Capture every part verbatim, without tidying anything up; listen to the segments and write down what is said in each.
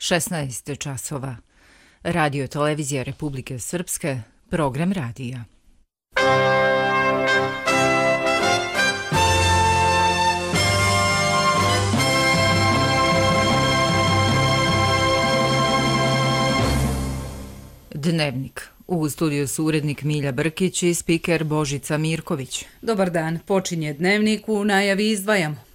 šesnaest časova. Radio televizija Republike Srpske, program radija. Dnevnik. U studiju su urednik Milja Brkić i spiker Božica Mirković. Dobar dan, počinje Dnevnik, u najavi izdvajamo.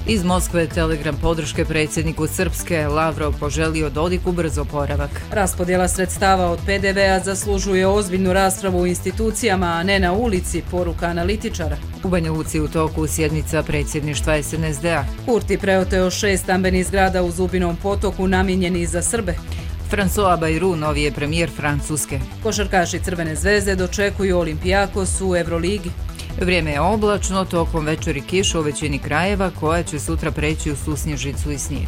Iz Moskve telegram podrške predsjedniku Srpske, Lavrov poželio Dodiku brz oporavak. Raspodjela sredstava od pe de vea zaslužuje ozbiljnu raspravu u institucijama, a ne na ulici, poruka analitičara. U Banja Luci u toku sjednica predsjedništva es en es de a. Kurti preoteo šest stambenih zgrada u Zubinom potoku namijenjenih za Srbe. François Bayrou, novi je premijer Francuske. Košarkaši Crvene zvezde dočekuju Olimpijakos u Euroligi. Vrijeme je oblačno, tokom večeri kiša u većini krajeva, koja će sutra preći u susnježicu i snijeg.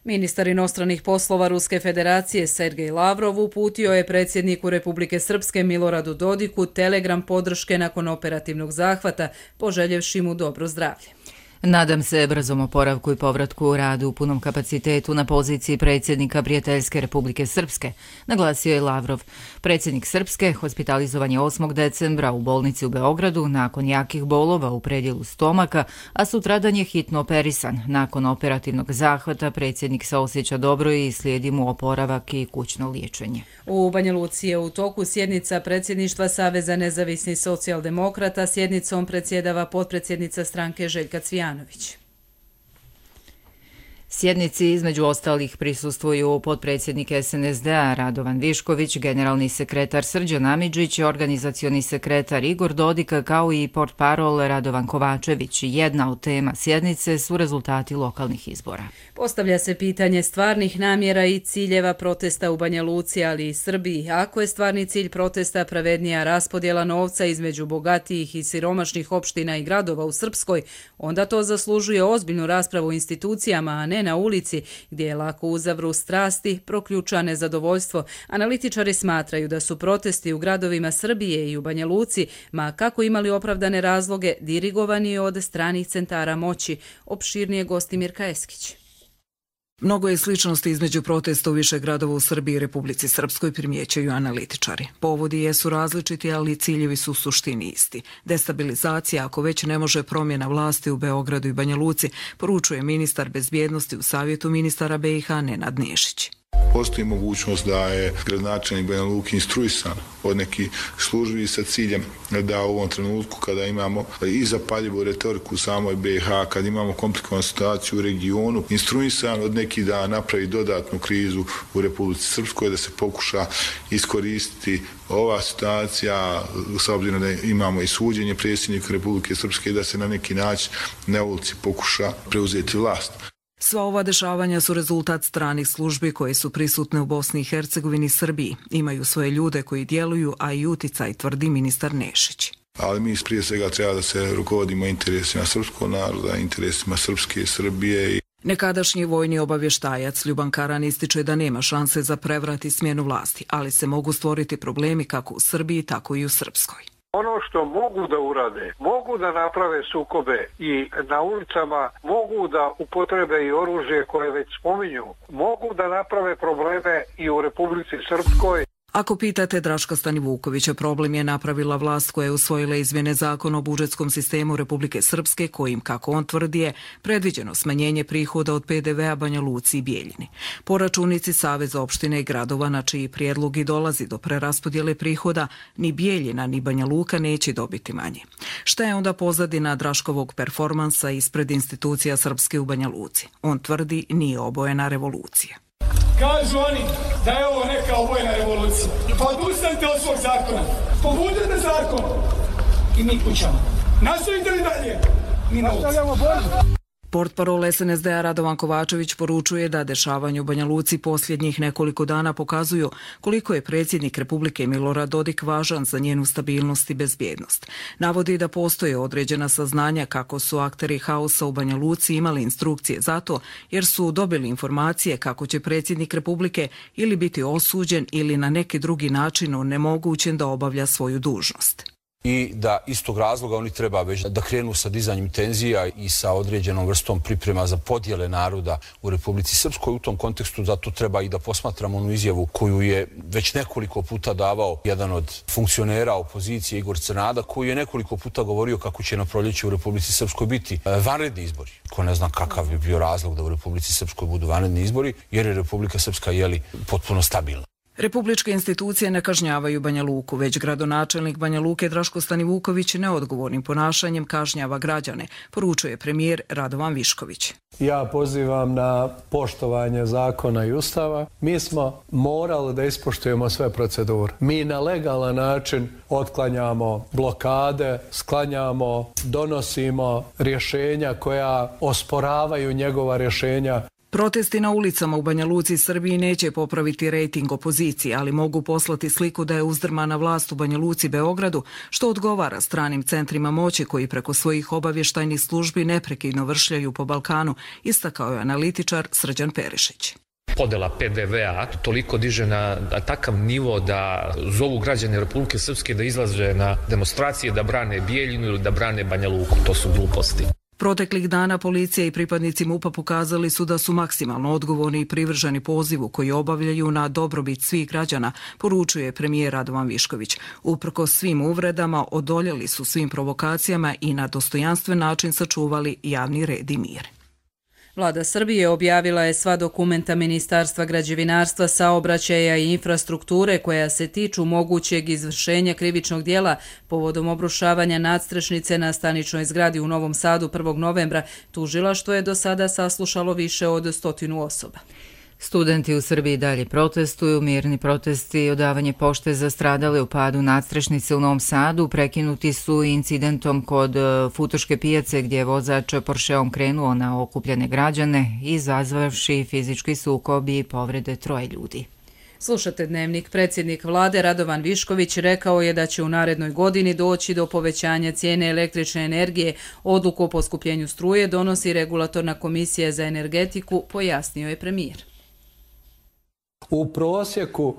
Ministar inostranih poslova Ruske federacije Sergej Lavrov uputio je predsjedniku Republike Srpske Miloradu Dodiku telegram podrške nakon operativnog zahvata, poželjevši mu dobro zdravlje. Nadam se brzom oporavku i povratku u radu u punom kapacitetu na poziciji predsjednika Prijateljske Republike Srpske, naglasio je Lavrov. Predsjednik Srpske hospitalizovan je osmog decembra u bolnici u Beogradu nakon jakih bolova u predjelu stomaka, a sutradan je hitno operisan. Nakon operativnog zahvata predsjednik se osjeća dobro i slijedi mu oporavak i kućno liječenje. U Banja Luci je u toku sjednica predsjedništva Saveza nezavisnih socijaldemokrata, sjednicom predsjedava potpredsjednica stranke Željka Cvijanović. Sjednici između ostalih prisustvuju potpredsjednik es en es de a Radovan Višković, generalni sekretar Srđan Amidžić, organizacioni sekretar Igor Dodik, kao i portparol Radovan Kovačević. Jedna od tema sjednice su rezultati lokalnih izbora. Postavlja se pitanje stvarnih namjera i ciljeva protesta u Banja Luci, ali i Srbiji. Ako je stvarni cilj protesta pravednija raspodjela novca između bogatijih i siromašnih opština i gradova u Srpskoj, onda to zaslužuje ozbiljnu raspravu u institucijama, a ne na ulici, gdje je lako uzavru strasti, proključa nezadovoljstvo. Analitičari smatraju da su protesti u gradovima Srbije i u Banja Luci, ma kako imali opravdane razloge, dirigovani od stranih centara moći. Opširnije gosti Mirka Eskić. Mnogo je sličnosti između protesta u više gradova u Srbiji i Republici Srpskoj, primjećuju analitičari. Povodi jesu različiti, ali ciljevi su u suštini isti. Destabilizacija, ako već ne može promjena vlasti u Beogradu i Banja Luci, poručuje ministar bezbjednosti u Savjetu ministara be i ha Nenad Nešić. Postoji mogućnost da je gradonačelnik Banja Luke instruisan od nekih službi sa ciljem da u ovom trenutku, kada imamo i zapaljivu retoriku u samoj be i ha, kad imamo komplikovanu situaciju u regionu, instruisan od nekih da napravi dodatnu krizu u Republici Srpskoj, da se pokuša iskoristiti ova situacija, s obzirom da imamo i suđenje predsjednika Republike Srpske, da se na neki način na ulici pokuša preuzeti vlast. Sva ova dešavanja su rezultat stranih službi koje su prisutne u Bosni i Hercegovini i Srbiji. Imaju svoje ljude koji djeluju, a i uticaj, tvrdi ministar Nešić. Ali mi prije svega treba da se rukovodimo interesima srpskog naroda, interesima Srpske i Srbije. Nekadašnji vojni obavještajac Ljuban Karan ističe da nema šanse za prevrat i smjenu vlasti, ali se mogu stvoriti problemi kako u Srbiji, tako i u Srpskoj. Ono što mogu da urade, mogu da naprave sukobe i na ulicama, mogu da upotrebe i oružje koje već spominju, mogu da naprave probleme i u Republici Srpskoj. Ako pitate Draška Stanivukovića, problem je napravila vlast koja je usvojila izmjene zakona o budžetskom sistemu Republike Srpske, kojim, kako on tvrdi, je predviđeno smanjenje prihoda od pe de vea Banja Luci i Bijeljini. Po računici Saveza opštine i gradova, na čiji prijedlog i dolazi do preraspodjele prihoda, ni Bijeljina ni Banja Luka neće dobiti manje. Šta je onda pozadina Draškovog performansa ispred institucija Srpske u Banja Luci? On tvrdi, nije obojena revolucija. Kažu oni da je ovo neka obojena revolucija. Pa odustanite od svog zakona. Pobudite zakon. I mi kućamo. Nastavite li dalje? Mi nastavljamo borbu. Portparol es en es de a Radovan Kovačević poručuje da dešavanje u Banja Luci posljednjih nekoliko dana pokazuju koliko je predsjednik Republike Milorad Dodik važan za njenu stabilnost i bezbjednost. Navodi da postoje određena saznanja kako su akteri haosa u Banja Luci imali instrukcije za to, jer su dobili informacije kako će predsjednik Republike ili biti osuđen ili na neki drugi način onemogućen da obavlja svoju dužnost. i da iz tog razloga oni treba već da krenu sa dizanjem tenzija i sa određenom vrstom priprema za podjele naroda u Republici Srpskoj. U tom kontekstu zato treba i da posmatramo onu izjavu koju je već nekoliko puta davao jedan od funkcionera opozicije, Igor Crnada, koji je nekoliko puta govorio kako će na proljeće u Republici Srpskoj biti vanredni izbori. Ko ne zna kakav bi bio razlog da u Republici Srpskoj budu vanredni izbori, jer je Republika Srpska jeli potpuno stabilna. Republičke institucije ne kažnjavaju Banja Luku, već gradonačelnik Banja Luke Draško Stanivuković neodgovornim ponašanjem kažnjava građane, poručuje premijer Radovan Višković. Ja pozivam na poštovanje zakona i ustava. Mi smo morali da ispoštujemo sve procedure. Mi na legalan način otklanjamo blokade, sklanjamo, donosimo rješenja koja osporavaju njegova rješenja. Protesti na ulicama u Banja Luci i Srbiji neće popraviti rejting opozicije, ali mogu poslati sliku da je uzdrmana vlast u Banja Luci i Beogradu, što odgovara stranim centrima moći koji preko svojih obavještajnih službi neprekidno vršljaju po Balkanu, istakao je analitičar Srđan Perišić. Podela P D V-a toliko diže na takav nivo da zovu građane Republike Srpske da izlaze na demonstracije, da brane Bijeljinu ili da brane Banja Luku. To su gluposti. Proteklih dana policija i pripadnici MUP-a pokazali su da su maksimalno odgovorni i privrženi pozivu koji obavljaju na dobrobit svih građana, poručuje premijer Radovan Višković. Uprkos svim uvredama odoljeli su svim provokacijama i na dostojanstven način sačuvali javni red i mir. Vlada Srbije objavila je sva dokumenta Ministarstva građevinarstva, saobraćaja i infrastrukture koja se tiču mogućeg izvršenja krivičnog dijela povodom obrušavanja nadstrešnice na staničnoj zgradi u Novom Sadu prvog novembra. Tužilaštvo je do sada saslušalo više od stotinu osoba. Studenti u Srbiji dalje protestuju. Mirni protesti i odavanje pošte za stradale u padu nadstrešnice u Novom Sadu prekinuti su incidentom kod Futoške pijace gdje je vozač Porscheom krenuo na okupljene građane, izazvavši fizički sukob i povrede troje ljudi. Slušate Dnevnik. Predsjednik vlade Radovan Višković rekao je da će u narednoj godini doći do povećanja cijene električne energije. Odluku o poskupljenju struje donosi Regulatorna komisija za energetiku, pojasnio je premijer. U prosjeku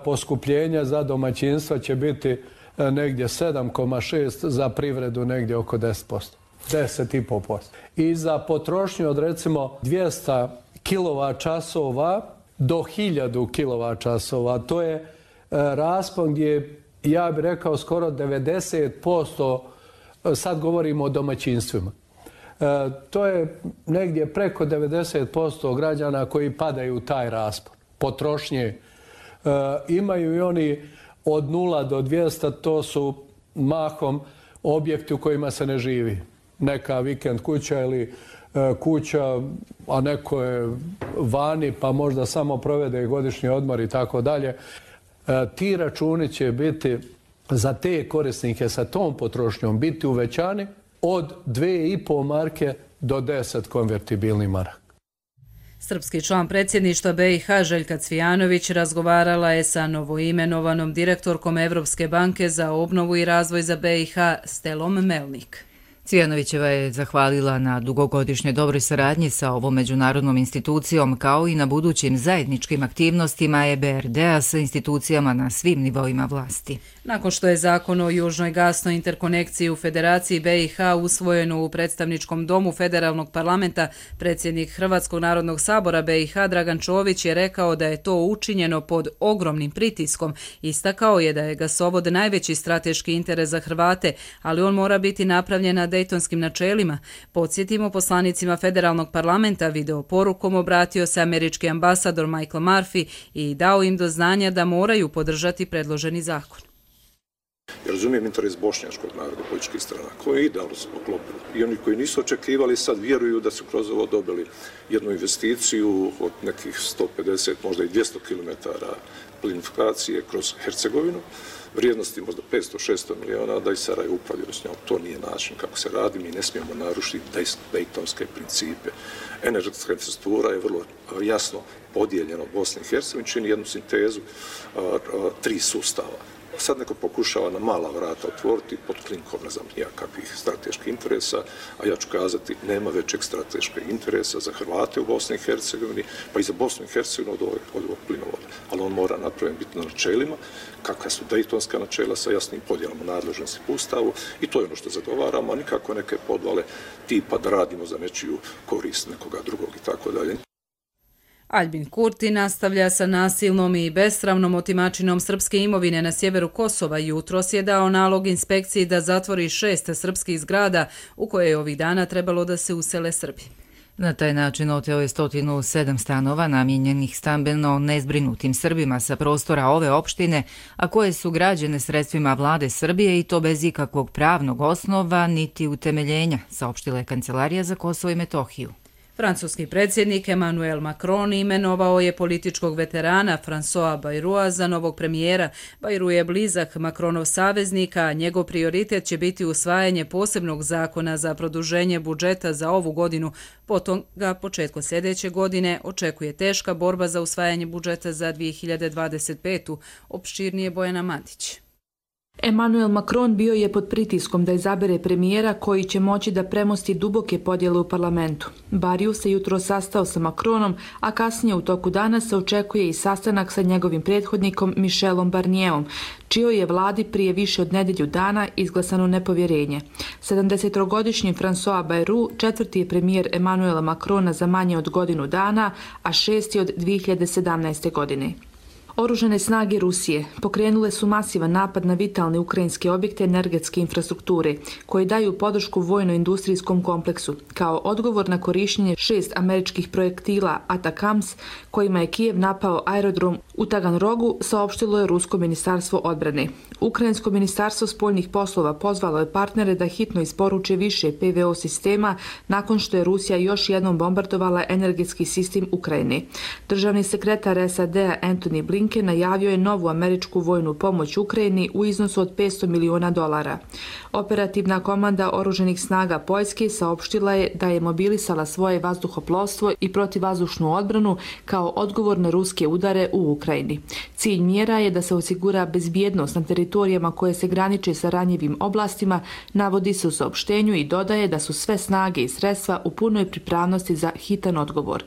poskupljenja za domaćinstva će biti negdje sedam zarez šest, za privredu negdje oko deset posto. deset zarez pet posto. I za potrošnju od recimo dvjesto kilovat časova do hiljadu kilovat časova. To je raspon gdje, ja bih rekao, skoro devedeset posto, sad govorimo o domaćinstvima. To je negdje preko devedeset posto građana koji padaju u taj raspon potrošnje. E, imaju i oni od nula do dvjesto, to su mahom objekti u kojima se ne živi. Neka vikend kuća ili e, kuća, a neko je vani pa možda samo provede godišnji odmor i tako dalje. Ti računi će biti za te korisnike sa tom potrošnjom biti uvećani od dvije i pol marke do deset konvertibilnih maraka. Srpski član predsjedništva B i H Željka Cvijanović razgovarala je sa novoimenovanom direktorkom Evropske banke za obnovu i razvoj za B i H Stelom Melnik. Cvijanovićeva je zahvalila na dugogodišnjoj dobroj saradnji sa ovom međunarodnom institucijom kao i na budućim zajedničkim aktivnostima E B R D-a sa institucijama na svim nivoima vlasti. Nakon što je zakon o južnoj gasnoj interkonekciji u Federaciji B i H usvojeno u predstavničkom domu Federalnog parlamenta, predsjednik Hrvatskog narodnog sabora B i H Dragan Čović je rekao da je to učinjeno pod ogromnim pritiskom. Istakao je da je gasovod najveći strateški interes za Hrvate, ali on mora biti napravljen na dejtonskim načelima. Podsjetimo, poslanicima Federalnog parlamenta video porukom obratio se američki ambasador Michael Murphy i dao im do znanja da moraju podržati predloženi zakon. Ja razumijem interes bošnjačkog naroda, političkih strana, koji je idealno se poklopili. I oni koji nisu očekivali sad vjeruju da su kroz ovo dobili jednu investiciju od nekih sto pedeset, možda i dvjesto kilometara plinifikacije kroz Hercegovinu, vrijednosti možda petsto šesto miliona, da i Sarajevo upravljaju s njom. To nije način kako se radi, mi ne smijemo narušiti dejtonske principe. Energetska infrastruktura je vrlo jasno podijeljena u Bosni i Hercegovini, čini jednu sintezu a, a, tri sustava. Sad neko pokušava na mala vrata otvoriti pod krinkom, ne znam, nijakakvih strateških interesa, a ja ću kazati, nema većeg strateškog interesa za Hrvate u Bosni i Hercegovini, pa i za Bosnu i Hercegovinu od ovog, od ovog plinovoda. Ali on mora napraviti biti na načelima, kakva su dejtonska načela sa jasnim podjelama nadležnosti po Ustavu, i to je ono što zagovaramo, a nikako neke podvale tipa da radimo za nečiju korist nekoga drugog i tako dalje. Aljbin Kurti nastavlja sa nasilnom i besramnom otimačinom srpske imovine na sjeveru Kosova. Jutros je dao nalog inspekciji da zatvori šest srpskih zgrada u koje je ovih dana trebalo da se usele Srbi. Na taj način oteo je sto sedam stanova namijenjenih stambeno nezbrinutim Srbima sa prostora ove opštine, a koje su građene sredstvima vlade Srbije i to bez ikakvog pravnog osnova niti utemeljenja, saopštila je Kancelarija za Kosovo i Metohiju. Francuski predsjednik Emmanuel Macron imenovao je političkog veterana François Bayroua za novog premijera. Bayrou je blizak Macronov saveznika, a njegov prioritet će biti usvajanje posebnog zakona za produženje budžeta za ovu godinu. Potom ga početkom sljedeće godine očekuje teška borba za usvajanje budžeta za dvije hiljade dvadeset petu. Opširnije Bojana Mandić. Emmanuel Macron bio je pod pritiskom da izabere premijera koji će moći da premosti duboke podjele u parlamentu. Bayroua se jutro sastao sa Macronom, a kasnije u toku dana se očekuje i sastanak sa njegovim prethodnikom Michelom Barnierom, čijoj je vladi prije više od nedelju dana izglasano nepovjerenje. sedamdesetogodišnji François Bayrou četvrti je premijer Emmanuela Macrona za manje od godinu dana, a šesti od dvije hiljade sedamnaeste. godine. Oružane snage Rusije pokrenule su masivan napad na vitalne ukrajinske objekte energetske infrastrukture koji daju podršku vojno-industrijskom kompleksu kao odgovor na korištenje šest američkih projektila Atakams kojima je Kijev napao aerodrom u Taganrogu, saopštilo je Rusko ministarstvo odbrane. Ukrajinsko ministarstvo spoljnih poslova pozvalo je partnere da hitno isporuče više P V O sistema nakon što je Rusija još jednom bombardovala energetski sistem Ukrajine. Državni sekretar S A D-a Antony Blinken najavio je novu američku vojnu pomoć Ukrajini u iznosu od petsto miliona dolara. Operativna komanda oruženih snaga Poljske saopštila je da je mobilisala svoje vazduhoplovstvo i protivvazdušnu odbranu kao odgovor na ruske udare u Ukrajini. Cilj mjera je da se osigura bezbjednost na teritorijama koje se graniče sa ranjivim oblastima, navodi se u saopštenju i dodaje da su sve snage i sredstva u punoj pripravnosti za hitan odgovor.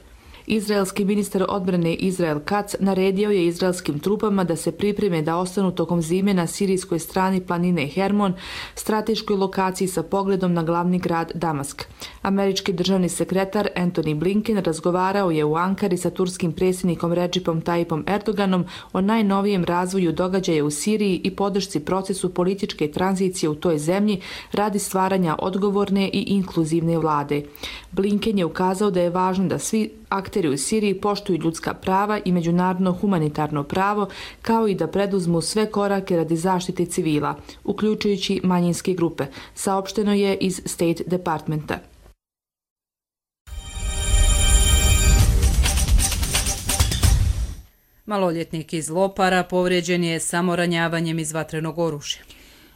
Izraelski ministar odbrane Izrael Katz naredio je izraelskim trupama da se pripreme da ostanu tokom zime na sirijskoj strani planine Hermon, strateškoj lokaciji sa pogledom na glavni grad Damask. Američki državni sekretar Antony Blinken razgovarao je u Ankari sa turskim predsjednikom Recepom Tayyipom Erdoganom o najnovijem razvoju događaja u Siriji i podršci procesu političke tranzicije u toj zemlji radi stvaranja odgovorne i inkluzivne vlade. Blinken je ukazao da je važno da svi akteri u Siriji poštuju ljudska prava i međunarodno humanitarno pravo, kao i da preduzmu sve korake radi zaštite civila, uključujući manjinske grupe, saopšteno je iz State Departmenta. Maloljetnik iz Lopara povrijeđen je samoranjavanjem iz vatrenog oružja.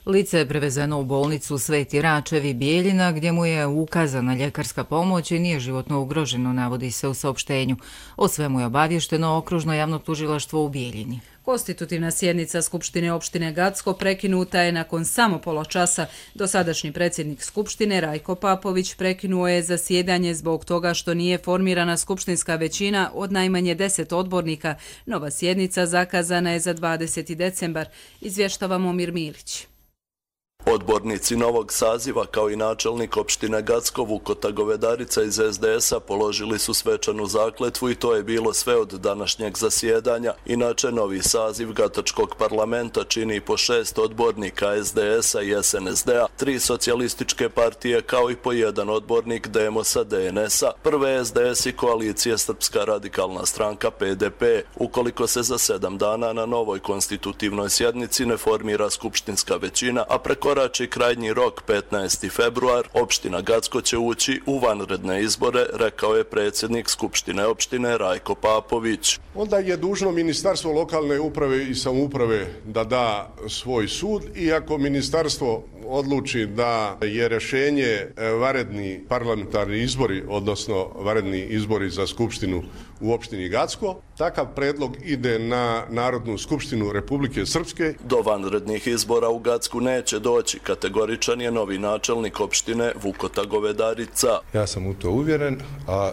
Lice je prevezeno u bolnicu Sveti Račevi Bijeljina gdje mu je ukazana ljekarska pomoć i nije životno ugroženo, navodi se u saopštenju. O svemu je obavješteno Okružno javno tužilaštvo u Bijeljini. Konstitutivna sjednica Skupštine opštine Gacko prekinuta je nakon samo pola časa. Dosadašnji predsjednik Skupštine Rajko Papović prekinuo je zasjedanje zbog toga što nije formirana skupštinska većina od najmanje deset odbornika. Nova sjednica zakazana je za dvadeseti decembar, izvještava Momir Milić. Odbornici novog saziva kao i načelnik opštine Gacko Vukota Govedarica iz S D S-a položili su svečanu zakletvu i to je bilo sve od današnjeg zasjedanja. Inače, novi saziv Gatačkog parlamenta čini po šest odbornika S D S-a i S N S D-a, tri socijalističke partije kao i po jedan odbornik Demosa D N S-a, prve S D S i koalicije Srpska radikalna stranka P D P. Ukoliko se za sedam dana na novoj konstitutivnoj sjednici ne formira skupštinska većina, a preko Rači krajnji rok petnaesti februar, opština Gacko će ući u vanredne izbore, rekao je predsjednik Skupštine opštine Rajko Papović. Onda je dužno Ministarstvo lokalne uprave i samouprave da da svoj sud i ako ministarstvo odluči da je rješenje vanredni parlamentarni izbori, odnosno vanredni izbori za Skupštinu u opštini Gacko. Takav predlog ide na Narodnu skupštinu Republike Srpske. Do vanrednih izbora u Gacku neće doći, kategoričan je novi načelnik opštine Vukota Govedarica. Ja sam u to uvjeren, a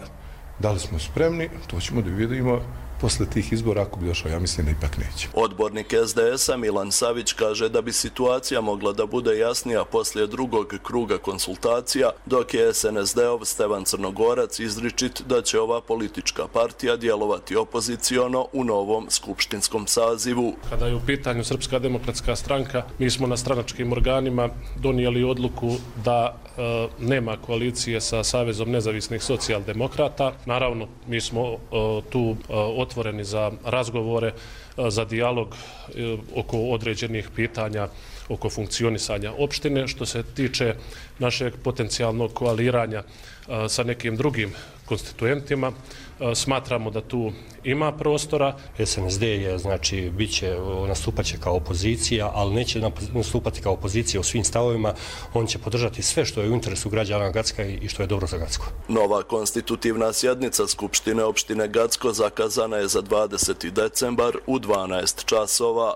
da li smo spremni, to ćemo da vidimo posle tih izbora, ako bi došao, ja mislim da ipak neće. Odbornik S D S-a Milan Savić kaže da bi situacija mogla da bude jasnija poslije drugog kruga konsultacija, dok je S N S D-ov Stevan Crnogorac izričit da će ova politička partija djelovati opoziciono u novom skupštinskom sazivu. Kada je u pitanju Srpska demokratska stranka, mi smo na stranačkim organima donijeli odluku da e, nema koalicije sa Savezom nezavisnih socijaldemokrata. Naravno, mi smo e, tu e, otvoreni za razgovore, za dijalog oko određenih pitanja, oko funkcionisanja opštine. Što se tiče našeg potencijalnog koaliranja sa nekim drugim konstituentima, smatramo da tu ima prostora. S N S D je, znači, biće, nastupaće kao opozicija, ali neće nastupati kao opozicija u svim stavovima. On će podržati sve što je u interesu građana Gacka i što je dobro za Gacko. Nova konstitutivna sjednica Skupštine opštine Gacko zakazana je za dvadeseti decembar u dvanaest časova.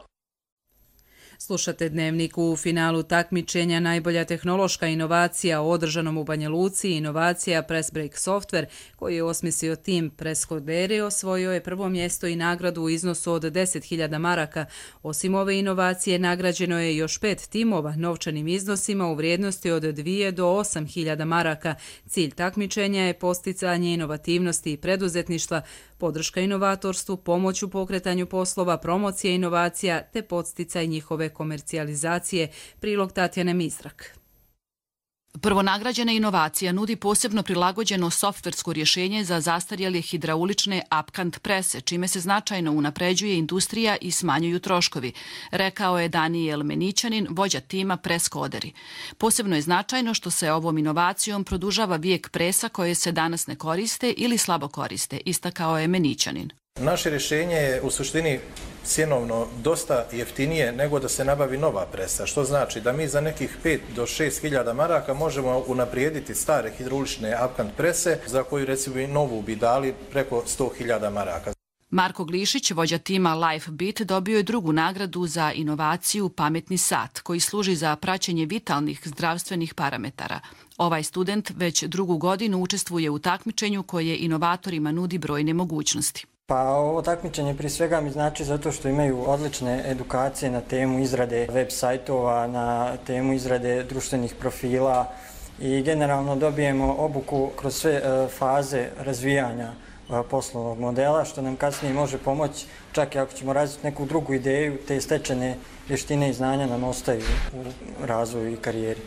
Slušate Dnevnik. U finalu takmičenja najbolja tehnološka inovacija održanom u Banja Luci, inovacija Pressbreak Software, koji je osmislio tim Presscoderi, osvojio je prvo mjesto i nagradu u iznosu od deset hiljada maraka. Osim ove inovacije, nagrađeno je još pet timova novčanim iznosima u vrijednosti od dvije do osam hiljada maraka. Cilj takmičenja je posticanje inovativnosti i preduzetništva, podrška inovatorstvu, pomoć u pokretanju poslova, promocija inovacija te podsticaj njihove komercijalizacije. Prilog Tatjane Mizrak. Prvonagrađena inovacija nudi posebno prilagođeno softversko rješenje za zastarjele hidraulične apkant prese, čime se značajno unapređuje industrija i smanjuju troškovi, rekao je Danijel Menićanin, vođa tima Presscoderi. Posebno je značajno što se ovom inovacijom produžava vijek presa koje se danas ne koriste ili slabo koriste, istakao je Menićanin. Naše rješenje je u suštini cjenovno dosta jeftinije nego da se nabavi nova presa, što znači da mi za nekih pet do šest hiljada maraka možemo unaprijediti stare hidraulične apkant prese, za koju recimo i novu bi dali preko sto hiljada maraka. Marko Glišić, vođa tima LifeBeat, dobio je drugu nagradu za inovaciju Pametni sat, koji služi za praćenje vitalnih zdravstvenih parametara. Ovaj student već drugu godinu učestvuje u takmičenju koje inovatorima nudi brojne mogućnosti. Pa ovo takmičenje prije svega mi znači zato što imaju odlične edukacije na temu izrade web sajtova, na temu izrade društvenih profila i generalno dobijemo obuku kroz sve faze razvijanja poslovnog modela, što nam kasnije može pomoći, čak i ako ćemo razviti neku drugu ideju, te stečene vještine i znanja nam ostaju u razvoju i karijeri.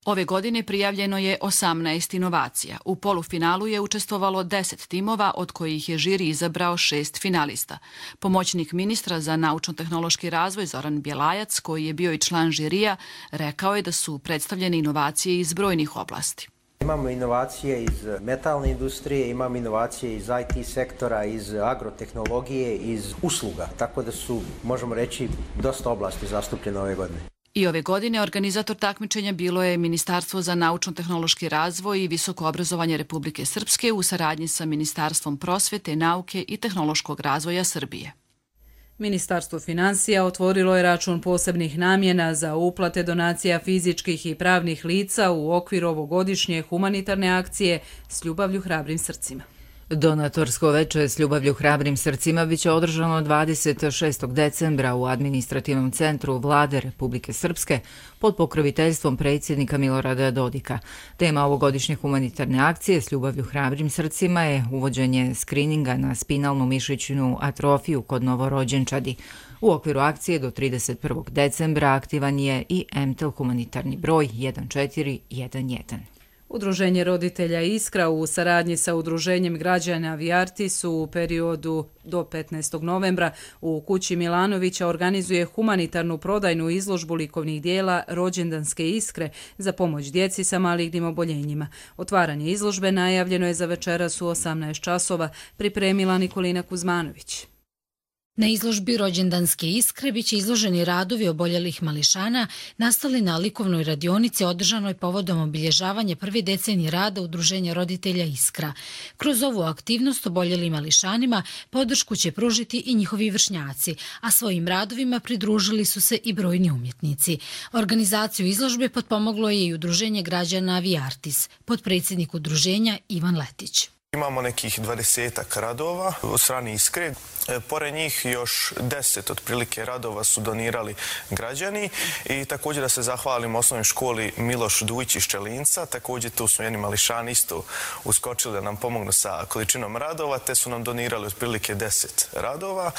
Ove godine prijavljeno je osamnaest inovacija. U polufinalu je učestvovalo deset timova, od kojih je žiri izabrao šest finalista. Pomoćnik ministra za naučno-tehnološki razvoj Zoran Bjelajac, koji je bio i član žirija, rekao je da su predstavljene inovacije iz brojnih oblasti. Imamo inovacije iz metalne industrije, imamo inovacije iz I T sektora, iz agrotehnologije, iz usluga, tako da su, možemo reći, dosta oblasti zastupljene ove godine. I ove godine organizator takmičenja bilo je Ministarstvo za naučno-tehnološki razvoj i visoko obrazovanje Republike Srpske u saradnji sa Ministarstvom prosvete, nauke i tehnološkog razvoja Srbije. Ministarstvo finansija otvorilo je račun posebnih namjena za uplate donacija fizičkih i pravnih lica u okviru ovogodišnje humanitarne akcije S ljubavlju hrabrim srcima. Donatorsko veče S ljubavlju hrabrim srcima biće održano dvadeset šestog decembra u administrativnom centru Vlade Republike Srpske pod pokroviteljstvom predsjednika Milorada Dodika. Tema ovogodišnje humanitarne akcije S ljubavlju hrabrim srcima je uvođenje skrininga na spinalnu mišićnu atrofiju kod novorođenčadi. U okviru akcije do trideset prvog decembra aktivan je i M T E L humanitarni broj jedan četiri jedan jedan. Udruženje roditelja Iskra u saradnji sa Udruženjem građana Vijartis u periodu do petnaestog novembra u kući Milanovića organizuje humanitarnu prodajnu izložbu likovnih dijela Rođendanske iskre za pomoć djeci sa malignim oboljenjima. Otvaranje izložbe najavljeno je za večeras u osamnaest časova, pripremila Nikolina Kuzmanović. Na izložbi Rođendanske iskre biće izloženi radovi oboljelih mališana nastali na likovnoj radionici održanoj povodom obilježavanja prve decenije rada Udruženja roditelja Iskra. Kroz ovu aktivnost oboljelim mališanima podršku će pružiti i njihovi vršnjaci, a svojim radovima pridružili su se i brojni umjetnici. Organizaciju izložbe potpomoglo je i Udruženje građana Viartis, potpredsjednik udruženja Ivan Letić. Imamo nekih dvadesetak radova od strane Iskre. Pored njih još deset otprilike radova su donirali građani i također da se zahvalim osnovnoj školi Miloš Dujić iz Čelinca. Također tu su jedni mališani isto uskočili da nam pomognu sa količinom radova, te su nam donirali otprilike deset radova.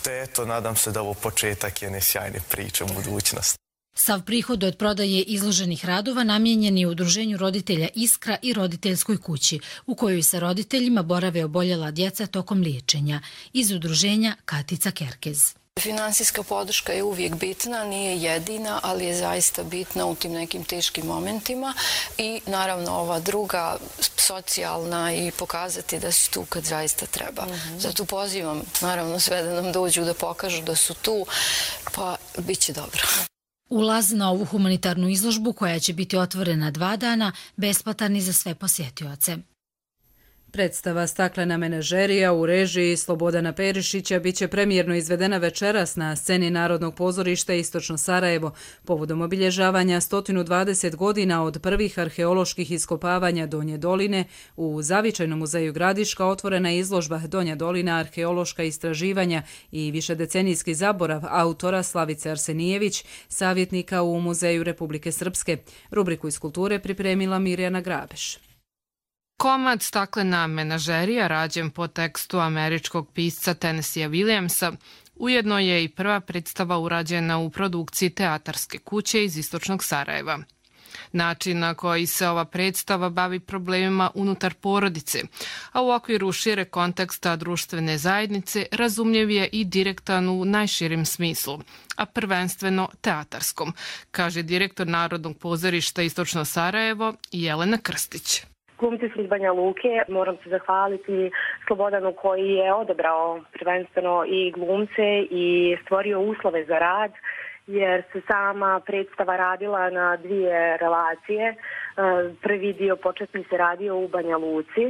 Te eto, nadam se da ovo početak jedne sjajne priče u budućnosti. Sav prihod od prodaje izloženih radova namijenjen je Udruženju roditelja Iskra i roditeljskoj kući, u kojoj sa roditeljima borave oboljela djeca tokom liječenja. Iz udruženja Katica Kerkez. Finansijska podrška je uvijek bitna, nije jedina, ali je zaista bitna u tim nekim teškim momentima i naravno ova druga, socijalna, i pokazati da si tu kad zaista treba. Mm-hmm. Zato pozivam naravno sve da nam dođu da pokažu da su tu, pa bit će dobro. Ulaz na ovu humanitarnu izložbu, koja će biti otvorena dva dana, besplatan je za sve posjetioce. Predstava Staklena menažerija u režiji Slobodana Perišića biće premijerno izvedena večeras na sceni Narodnog pozorišta Istočno Sarajevo povodom obilježavanja sto dvadeset godina od prvih arheoloških iskopavanja Donje doline. U Zavičajnom muzeju Gradiška otvorena je izložba Donja dolina, arheološka istraživanja i višedecenijski zaborav autora Slavice Arsenijević, savjetnika u Muzeju Republike Srpske. Rubriku iz kulture pripremila Mirjana Grabeš. Komad Staklena menažerija, rađen po tekstu američkog pisca Tennesseea Williamsa, ujedno je i prva predstava urađena u produkciji teatarske kuće iz Istočnog Sarajeva. Način na koji se ova predstava bavi problemima unutar porodice, a u okviru šire konteksta društvene zajednice, razumljiv je i direktan u najširim smislu, a prvenstveno teatarskom, kaže direktor Narodnog pozorišta Istočno Sarajevo Jelena Krstić. Glumci su iz Banja Luke, moram se zahvaliti Slobodanu koji je odabrao prvenstveno i glumce i stvorio uslove za rad, jer se sama predstava radila na dvije relacije. Prvi dio početni se radio u Banja Luci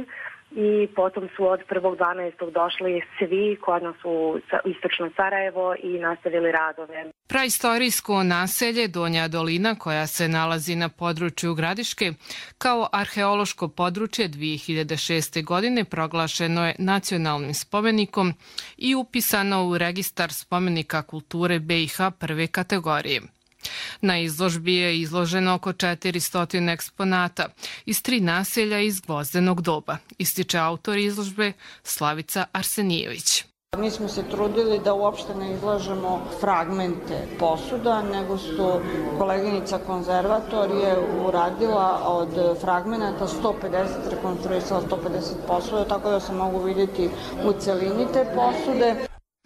i potom su od prvog dvanaestog došli svi kod nas u Istočno Sarajevo i nastavili radove. Praistorijsko naselje Donja dolina, koja se nalazi na području Gradiške, kao arheološko područje dvije hiljade šeste. godine proglašeno je nacionalnim spomenikom i upisano u registar spomenika kulture B i H prve kategorije. Na izložbi je izloženo oko četiristo eksponata iz tri naselja iz gvozdenog doba, ističe autor izložbe Slavica Arsenijević. Mi smo se trudili da uopšte ne izlažemo fragmente posuda, nego su koleginica konzervator je uradila od fragmenata sto pedeset, rekonstruisala sto pedeset posuda, tako da se mogu vidjeti u celini te posude.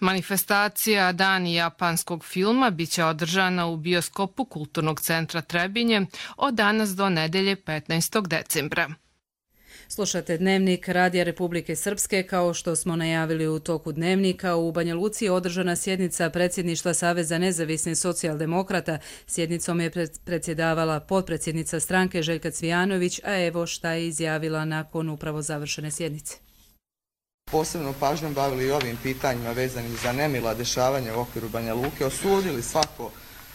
Manifestacija Dani japanskog filma biće održana u bioskopu Kulturnog centra Trebinje od danas do nedelje petnaestog decembra. Slušate Dnevnik Radija Republike Srpske. Kao što smo najavili u toku Dnevnika, u Banja Luci je održana sjednica predsjedništva Saveza nezavisnih socijaldemokrata. Sjednicom je predsjedavala potpredsjednica stranke Željka Cvijanović, a evo šta je izjavila nakon upravo završene sjednice. Posebno pažnjom bavili i ovim pitanjima vezanim za nemila dešavanja u okviru Banja Luke, osudili svako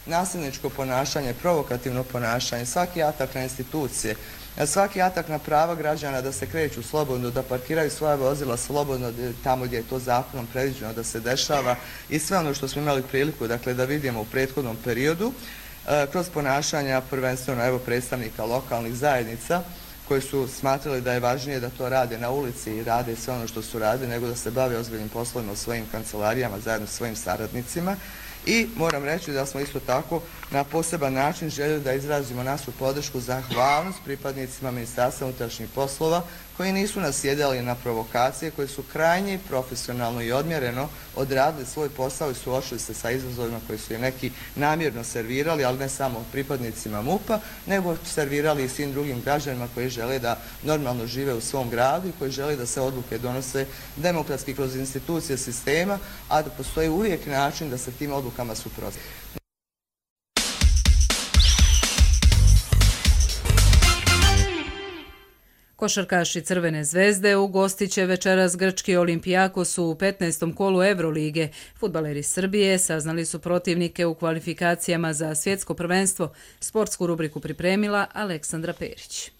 nasilničko ponašanje, provokativno ponašanje, svaki atak na institucije, svaki atak na prava građana da se kreću slobodno, da parkiraju svoja vozila slobodno tamo gdje je to zakonom predviđeno da se dešava i sve ono što smo imali priliku dakle, da vidimo u prethodnom periodu kroz ponašanja prvenstveno evo predstavnika lokalnih zajednica koji su smatrali da je važnije da to rade na ulici i rade sve ono što su radili nego da se bave ozbiljnim poslovima u svojim kancelarijama zajedno s svojim saradnicima. I moram reći da smo isto tako na poseban način željeli da izrazimo našu podršku, zahvalnost pripadnicima Ministarstva unutrašnjih poslova koji nisu nasjedali na provokacije, koji su krajnje profesionalno i odmjereno odradili svoj posao i suočili se sa izazovima koji su je neki namjerno servirali, ali ne samo pripadnicima MUP-a, nego servirali i svim drugim građanima koji žele da normalno žive u svom gradu i koji žele da se odluke donose demokratski kroz institucije sistema, a da postoji uvijek način da se tim odlukama suprotstavljaju. Košarkaši Crvene zvezde ugostit će večeras grčki Olimpijakos u petnaestom kolu Evrolige. Fudbaleri Srbije saznali su protivnike u kvalifikacijama za svjetsko prvenstvo. Sportsku rubriku pripremila Aleksandra Perić.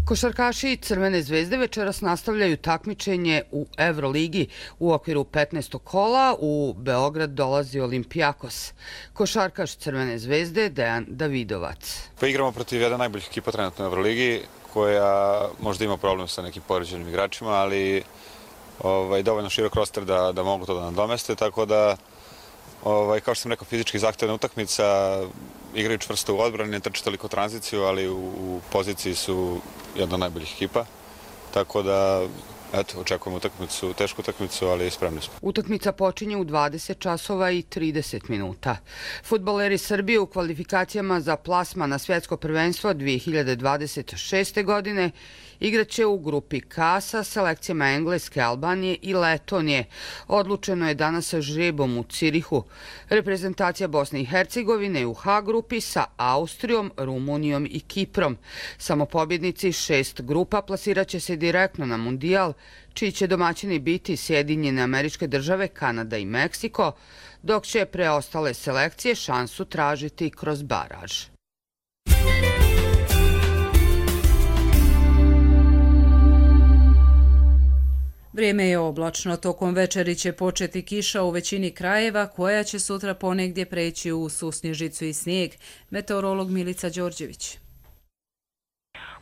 Košarkaši Crvene zvezde večeras nastavljaju takmičenje u Evroligi. U okviru petnaestog kola u Beograd dolazi Olimpijakos. Košarkaš Crvene zvezde Dejan Davidovac. Pa igramo protiv jedna najboljih ekipa trenutno u Evroligi, koja možda ima problem sa nekim povređenim igračima, ali ovaj, dovoljno širok roster da, da mogu to da nadomeste, tako da, ovaj, kao što sam rekao, fizički zahtevna utakmica, igraju čvrsto u odbrani, ne trče toliko tranziciju, ali u, u poziciji su jedna od najboljih ekipa, tako da eto, očekujemo utakmicu, tešku utakmicu, ali spremni smo. Utakmica počinje u dvadeset časova i trideset minuta. Fudbaleri Srbije u kvalifikacijama za plasman na svjetsko prvenstvo dvije hiljade dvadeset šeste. godine igraće u grupi K sa selekcijama Engleske, Albanije i Letonije. Odlučeno je danas žrebom u Cirihu. Reprezentacija Bosne i Hercegovine u H grupi sa Austrijom, Rumunijom i Kiprom. Samo pobjednici šest grupa plasirat će se direktno na Mundijal, čiji će domaćini biti Sjedinjene Američke Države, Kanada i Meksiko, dok će preostale selekcije šansu tražiti kroz baraž. Vrijeme je oblačno, tokom večeri će početi kiša u većini krajeva, koja će sutra ponegdje preći u susnježicu i snijeg. Meteorolog Milica Đorđević.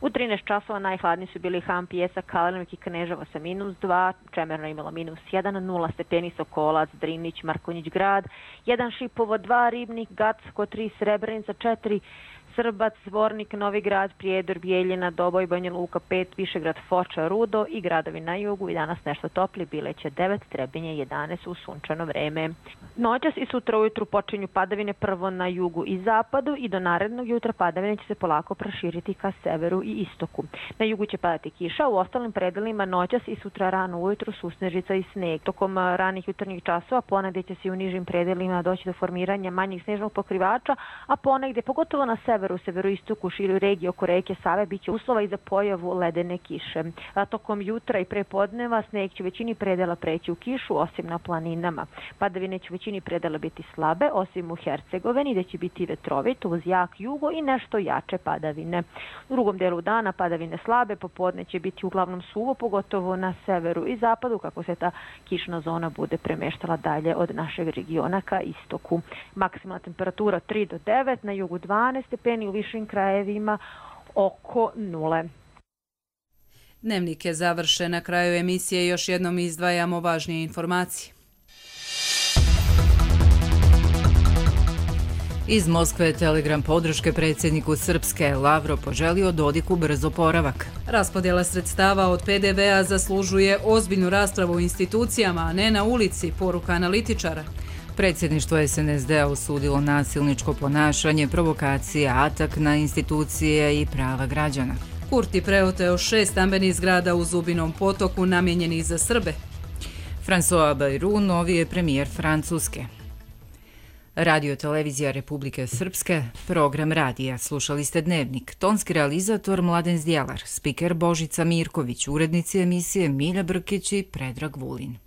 U trinaest časova najhladniji su bili Han, Pijesak, Kalenovik i Kneževo sa minus dva, Čemerno imalo minus jedan, nula stepeni Sokolac, Drinić, Markonjić grad, jedan Šipovo, dva Ribnik, Gacko, tri Srebrenica, četiri Srbac, Zvornik, Novi grad, Prijedor, Bijeljina, Doboj, Banja Luka pet, Višegrad, Foča, Rudo i gradovi na jugu i danas nešto topli, Bileće devet, Trebinje jedanaest u sunčano vreme. Noćas i sutra ujutru počinju padavine prvo na jugu i zapadu i do narednog jutra padavine će se polako proširiti ka severu i istoku. Na jugu će padati kiša, u ostalim predelima noćas i sutra rano ujutru susnežica i sneg. Tokom ranih jutarnjih časova ponegdje će se u nižim predelima doći do formiranja manjih snežnog pokrivača, a ponegdje, pogotovo na severu, u severoistoku, široj regiji oko reke Save, biće uslova i za pojavu ledene kiše. A tokom jutra i prepodneva sneg će u većini predela preći u kišu, osim na planinama. Padavine će u većini predela biti slabe, osim u Hercegovini, gdje će biti vetrovito uz jak jugo i nešto jače padavine. U drugom delu dana padavine slabe, popodne će biti uglavnom suvo, pogotovo na severu i zapadu, kako se ta kišna zona bude premeštala dalje od našeg regiona ka istoku. Maksimalna temperatura tri do devet, na jugu dvanaest stepeni, u višim krajevima oko nule. Dnevnik je završen. Na kraju emisije još jednom izdvajamo važnije informacije. Iz Moskve telegram podrške predsjedniku Srpske. Lavrov poželio Dodiku brz oporavak. Raspodjela sredstava od P D V-a zaslužuje ozbiljnu raspravu u institucijama, a ne na ulici, poruka analitičara. Predsjedništvo S N S D-a osudilo nasilničko ponašanje, provokacije, atak na institucije i prava građana. Kurti preoteo šest stambenih zgrada u Zubinom potoku namijenjenih za Srbe. François Bayrou novi je premijer Francuske. Radio televizija Republike Srpske, program radija. Slušali ste Dnevnik. Tonski realizator Mladen Zdjelar, spiker Božica Mirković, urednici emisije Milja Brkić i Predrag Vulin.